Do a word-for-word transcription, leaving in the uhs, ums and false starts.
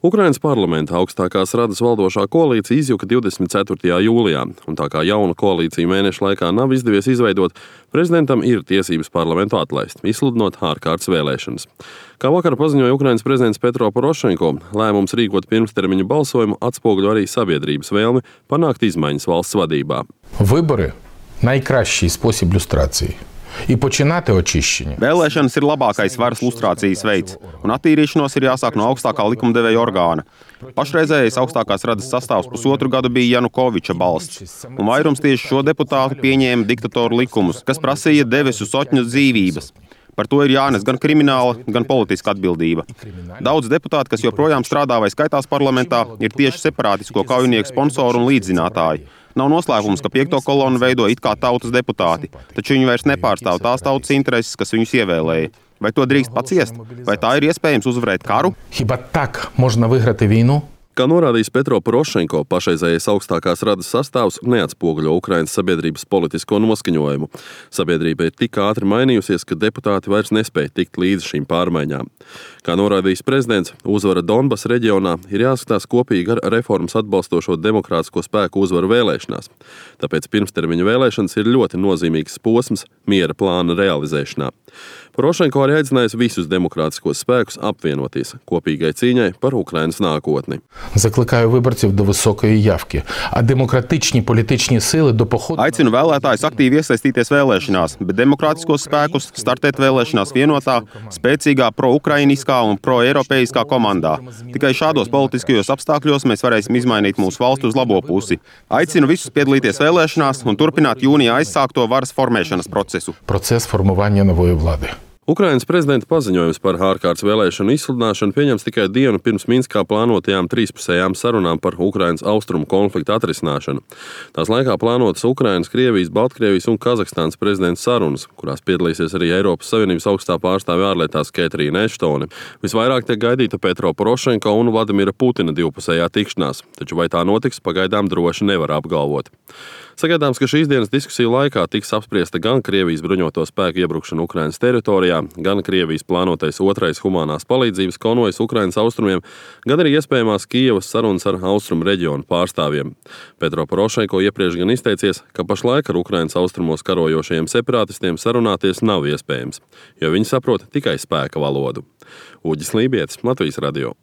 Ukrainas parlamenta augstākās radas valdošā koalīcija izjuka divdesmit ceturtajā jūlijā, un tā kā jauna koalīcija mēnešu laikā nav izdevies izveidot, prezidentam ir tiesības parlamentu atlaist, izsludinot ārkārtas vēlēšanas. Kā vakar paziņoja Ukrainas prezidents Petro Porošenko, lēmums rīkot pirmstermiņu balsojumu atspoguļo arī sabiedrības vēlmi panākt izmaiņas valsts vadībā. Вибори – найкращий спосіб люстрації. І починати очищення. Vēlēšanas ir labākais varas lustrācijas veids, un attīrīšanos ir jāsāk no augstākā likumdevēja orgāna. Pašreizējais augstākās radas sastāvs pusotru gadu bija Janukoviča balsts, un vairums tieši šo deputātu pieņēma diktatoru likumus, kas prasīja Devesu Sotņu dzīvības. Par to ir jānes gan krimināla, gan politiska atbildība. Daudz deputāti, kas joprojām strādā vai skaitās parlamentā, ir tieši separātisko kaujinieku sponsori un līdzzinātāji. Nav noslēpums, ka piekto kolonu veido it kā tautas deputāti, taču viņi vairs nepārstāv tās tautas intereses, kas viņus ievēlēja. Vai to drīkst paciest? Vai tā ir iespējams uzvarēt karu? Хіба так можна виграти війну? Kā norādījis Petro Porošenko, pašreizējais augstākās radas sastāvs neatspoguļo Ukrainas sabiedrības politisko noskaņojumu. Sabiedrība ir tik ātri mainījusies, ka deputāti vairs nespēja tikt līdz šīm pārmaiņām. Kā norādījis prezidents, uzvara Donbas reģionā ir jāskatās kopīgi ar reformas atbalstošo demokrātisko spēku uzvaru vēlēšanās. Tāpēc pirmstermiņa vēlēšanas ir ļoti nozīmīgs posms miera plāna realizēšanā. Porošenko arī aicinājis visus demokrātiskos spēkus apvienoties kopīgai cīņai par Ukrainas nākotni. Закликаю виборців до високої явки, а демократичні політичні сили до походу... Aicinu vēlētājus aktīvi iesaistīties vēlēšanās, bet demokrātiskos spēkus startēt vēlēšanās vienotā, spēcīgā pro-ukrainiskā un pro-eiropeiskā komandā. Tikai šādos politiskajos apstākļos mēs varēsim izmainīt mūsu valstu uz labo pusi. Aicinu visus piedalīties vēlēšanās un turpināt jūnijā aizsākto varas formēšanas procesu. Процес формування нової влади. Ukrainas prezidenta paziņojums par ārkārtas vēlēšanu izsludināšanu pieņems tikai dienu pirms Minskā plānotajām trīspusējām sarunām par Ukrainas austrumu konfliktu atrisināšanu. Tās laikā plānotas Ukrainas, Krievijas, Baltkrievijas un Kazahstānas prezidenta sarunas, kurās piedalīsies arī Eiropas Savienības augstā pārstāve ārlietās Ketrīna Eštone. Visvairāk tiek gaidīta Petro Porošenko un Vladimira Putina divpusējā tikšanās, taču vai tā notiks, pagaidām droši nevar apgalvot. Sagaidāms, ka šīs dienas diskusiju laikā tiks apspriesta gan Krievijas bruņoto spēku iebrukšana Ukrainas teritorijā, gan Krievijas plānotais otrais humanās palīdzības konvojs Ukrainas austrumiem, gan arī iespējamās Kijevas sarunas ar austrumu reģionu pārstāvjiem. Petro Porošenko iepriekš gan izteicies, ka pašlaik ar Ukrainas austrumos karojošajiem separātistiem sarunāties nav iespējams, jo viņi saprot tikai spēka valodu. Uģis Lībietis, Latvijas radio.